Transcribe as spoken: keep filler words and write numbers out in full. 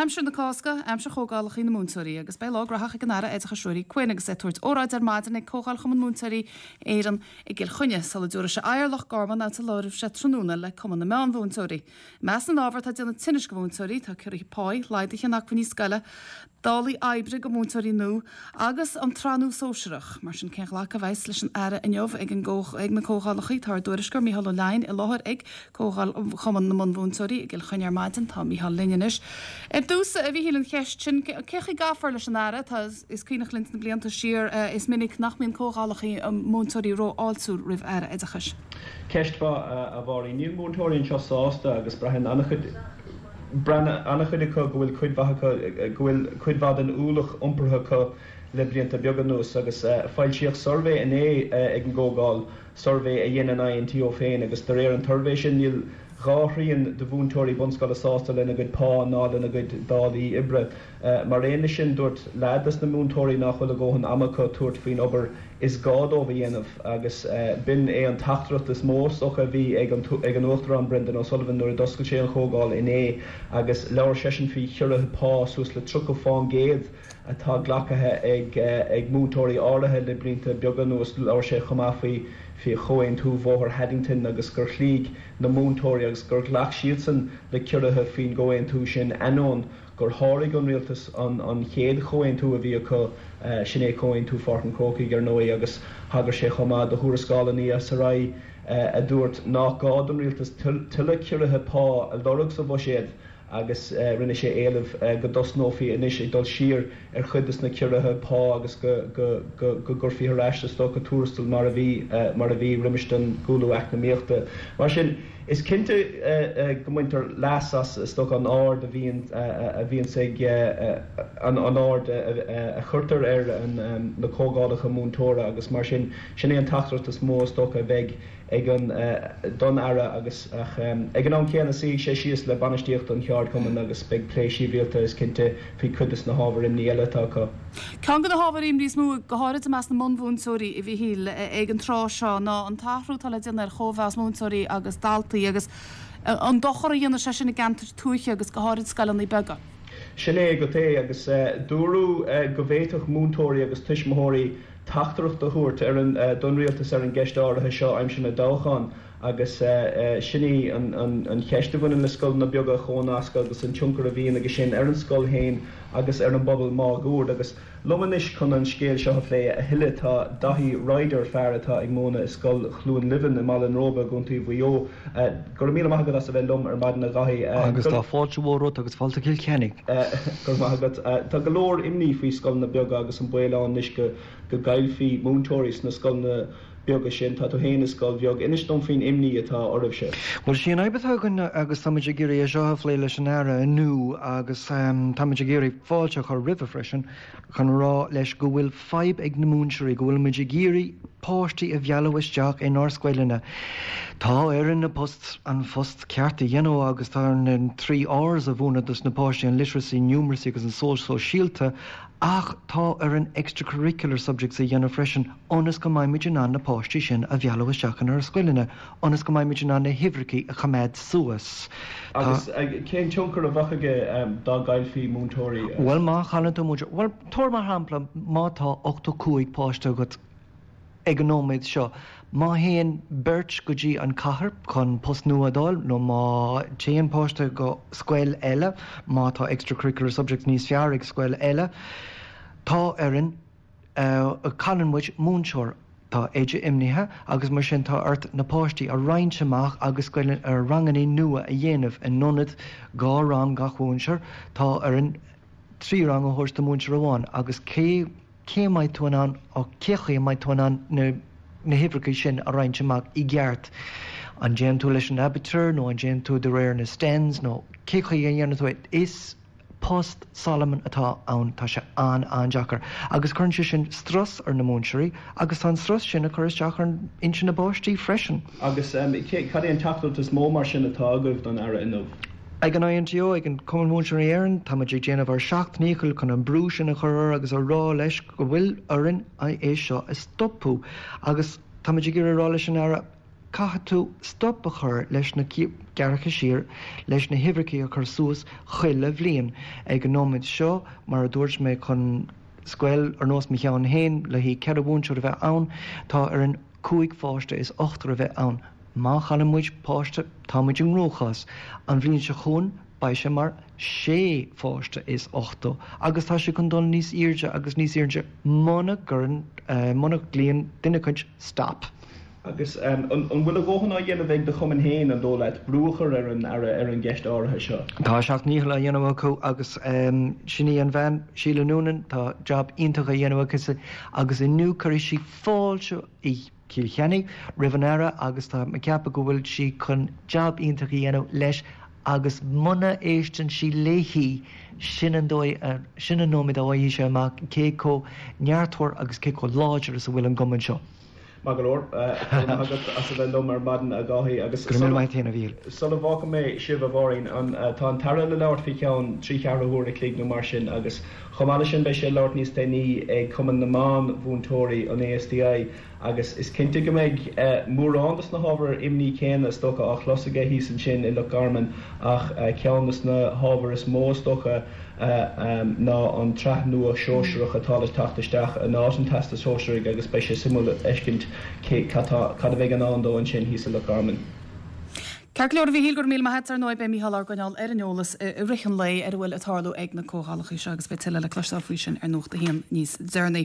Aimsir na Cásca, aimsir chomhdhálacha na múinteoirí, agus beidh lá gnóthach ag an Aire Oideachais Ruairí Quinn agus é ag tabhairt óráid ar maidin ag Comhdháil Chumann Múinteoirí Éireann i gCill Chainnigh sula dtabharfaidh sé aghaidh ar Loch Garman áit a labhróidh sé tráthnóna le Cumann na Meánmhúinteoirí. I measc na n-ábhar atá ag déanamh tinnis do mhúinteoirí, tá ciorruithe páí, laghduithe in acmhainní scoile, dálaí oibre do mhúinteoirí nua agus an tsraith nua sóisearach. Mar sin cén ghlacadh a bheas leis an Aire inniu ag an ag na comhdhálacha tá ár dtuairisceoir Mícheál Ó Leidhin i láthair ag Comhdháil Chumann na Bunmhúinteoirí i gCill Chainnigh ar maidin tá Mícheál linn anois. Ar dtús a Mhíchíl an cheist sin cé chaoi a gcaithfear leis an Aire tá is cuimhneach linn na blianta siar is minic nach mbíonn comhdhálacha múinteoirí rófháiltiúil roimh Aire Oideachais. Ceist mhaith a Mháirín níl múinteoirí anseo sásta agus braitheann an-chuid braitheann an-chuid acu go bhfuil cuid mhaith acu go bhfuil cuid mhaith den ualach iompaithe acu le blianta beaga anuas agus foilsíodh suirbhé inné ag an gcomhdháil suirbhé a dhein an INTO féin agus de réir an tsuirbhé sin níl dhá thrian de mhúinteoirí bunscoile sásta lena gcuid pá ná lena gcuid dálaí oibre. Mar aon leis sin dúirt leath de na múinteoirí nach bhfuil a ndóthain ama acu tabhairt faoin obair is gá dóibh a dhéanamh agus b'in é an teachtaireacht is mó socha a bhí ag an ag an Uachtarán Brendan O'Sullivan nuair a d'oscail sé an chomhdháil inné agus labhair seisean faoi chiorruithe pá suas le tríocha faoin gcéad atá glactha ag ag múinteoirí áirithe le blianta beaga anuas labhair sé chomh maith faoi faoi chomhaontú Bhóthar Haddington agus gur chloígh na múinteoirí agus gur ghlac siadsan le ciorruithe faoin gcomhaontú sin ainneoin gur sháraigh an rialtas an an chéad chomhaontú a bhí acu sin é comhaontú Pháirc an Chrócaigh ar ndóigh agus thagair sé chomh maith do thuarascáil an ESRI a dúirt nach gá don rialtas tuilleadh ciorruithe pá a lorg sa bhuiséad agus rinne sé éileamh go dtosnófaí anois ag dul siar ar chuid de na ciorruithe pá agus go go go go gcuirfí ar ais is dócha tuarastal mar a bhí mar a bhí roimis an gcúlú eacnamaíochta. Mar sin is cinnte go mbaintear leas as is dócha an aird a bhíonn a bhíonns ag an an aird a chuirtear ar na comhdhálacha múinteora agus mar sin sin é an teachtaireacht is mó is dócha a bheidh ag an don Aire agus ach ag an am céanna suífidh sé síos le bainistíocht an cheardchumainn agus beidh plé sibhialta is cinnte faoi chuid de na hábhair imní eile atá acu. Ceann de na hábhair imní is mó go háirithe i measc na mbunmhúinteoirí a Mhíchíl ag an tráth seo ná an t-athrú atá le déanamh ar chóimheas múinteoirí agus daltaí agus an dochar a dhéanann sé sin i gceantair tuaithe agus go háirithe scoileanna beaga. Sin é go é agus dúradh go bhféadfadh múinteoirí agus tuismitheoirí teachtaireacht a thabhairt ar an don rialtas ar an gceist áirithe seo aimsir na dtoghchán agus sin í an cheist a bhaineann le scoileanna beaga chónasctha agus an tionchar a bhíonn aige sin ar an scoil féin agus ar an bpobal máguaird agus liom anois chun an scéal seo a phlé a thuilleadh tá Daithí Ryder fear atá ag múineadh i scoil Chluain Luimhín i mBaile an Róba i gContae Mhaigh Eo. Go raibh míle maith agat as a bheith liom ar maidin a Dhaithí. Agus tá fáilte mhór romhat agus fáilte Cill Chainnigh. Go maith agat. Tá go leor imní faoi scoileanna beaga agus an baol ann anois go go gcaillfí múinteoirí sna scoileanna beaga sin tá tú féin i scoil bheag inis dom faoin imní atá oraibhse. Well sí an fhadhb atá againn agus táimid ag iarraidh é seo a phlé leis an Aire inniu agus táimid ag iarraidh fáilte a chur roimhe freisin chun rá leis go bhfuil fadhb ag na múinteoirí go bhfuil muid ag iarraidh páistí a mhealladh isteach inár scoileanna. Tá orainn an post an phost ceart a dhéanamh agus tá an trí R's a mhúineadh dos na páistí an literacy, numeracy agus an sóisialta ach tá orainn extracurricular subjects a dhéanamh freisin ionas go mbeimid in ann na páistí sin a mhealladh isteach inár scoileanna, ionas go mbeimid in ann na huimhreacha a choimeád suas. Agus cén tionchar a bheadh aige dá gcaillfí múinteoirí? Well má chailleann tú múinteoir, well tabhair mar shampla má tá ochtó cúig páiste agat ag an nóiméad seo. Má théann beirt go dtí an cathair chun post nua a fháil nó má téann páiste go scoil eile, má tá extracurricular subjects níos fearr ag scoil eile, tá orainn uh, cailleann muid múinteoir Tá oide imithe agus mar sin tá ort na páistí a roinnt amach agus scoil ar ranganna nua a dhéanamh in ionad dhá rang gach múinteoir tá orainn trí rang a thabhairt do mhúinteoir amháin agus cé cé mbeidh tú in ann ó cé chaoi mbeidh tú in ann na na huimhreacha sin a roinnt amach i gceart. An déan tú leis an abitur nó an déan tú de réir na stens nó cé chaoi a dhéanann tú is post Solomon atá ann tá sé an an-deacair. agus cuireann sé sin strus ar na múinteoirí agus tá an strus sin ag cur isteach ar intinn na bpáistí freisin. Agus um, cad é an teachtaireacht is mó mar sin atá agaibh don Aire inniu. Ag an INTO ag an Cumann Múinteoirí Éireann tá ag déanamh ár seacht ndícheall chun an brú sin a chur agus a rá leis go bhfuil orainn é seo a stopadh agus tá ag rá leis an Aire Caithfidh tú stop a chur leis na gearrtha siar, leis na huimhreacha a chur suas chuile bhliain. Ag an nóiméad seo, mar a dúirt mé, chun scoil ar nós mo cheann féin le haghaidh ceithre mhúinteoir a bheith ann, tá orainn cúig pháiste is ochtar a bheith ann. Má chailleann muid páiste, tá muid i gcruachás. An bhliain seo chugainn, beidh sé mar sé pháiste is ochtó agus tá sé chun dul níos airde agus níos airde muna gcuireann, muna nglaonn duine éicint stop. Agus an bhfuil a dhóthain á dhéanamh ag do chumann féin, an dóigh leat, brú a chur ar an Aire ar an gceist áirithe seo? Tá a seacht ndícheall á dhéanamh acu agus sin í an bhean, Sheila Noonan, tá jab iontach á dhéanamh aici agus inniu cuirfidh sí fáilte i Cill Chainnigh roimh an Aire agus tá mé ag ceapadh go bhfuil sí chun jab iontach a dhéanamh leis agus muna éisteann sí léi, sin an dóigh, sin an nóiméad a bhfaighidh sé amach cé chomh neartmhar agus cé chomh láidir is a bhfuil an gcumann seo. Maith go leor, go raibh maith agat as a bheith liom ar maidin, a Dháithí, agus Go raibh míle maith agat féin, a Mhíchíl. Sula bhfágfaidh mé sibh, a Mháirín, an, tá an tAire le labhairt faoi cheann trí cheathrú huair a chloig nó mar sin agus chomh maith leis sin beidh sé ag labhairt níos déanaí ag Cumann na Meán-Mhúinteoirí, an ASTI, agus is cinnte go mbeidh mórán dos na hábhair imní céanna is dócha á chlos aige thíos ansin i Loch Garman ach ceann dos na hábhair is mó is dócha ná an tsraith nua shóisearach atá le teacht isteach in áit an Teastais Shóisearaigh agus beidh sé suimiúil a fheiscint cé cad cad a bheidh i ndán dó ansin thíos i Loch Garman. Ceart go leor, a Mhíchíl, go raibh míle maith agat. Ar ndóigh, beidh Mícheál ár gcoinneáil ar an eolas i rith an lae ar a bhfuil ag tarlú ag na comhdhálacha seo agus beidh tuilleadh le cloisteáil faoi sin ar Nuacht a hAon níos deireanaí.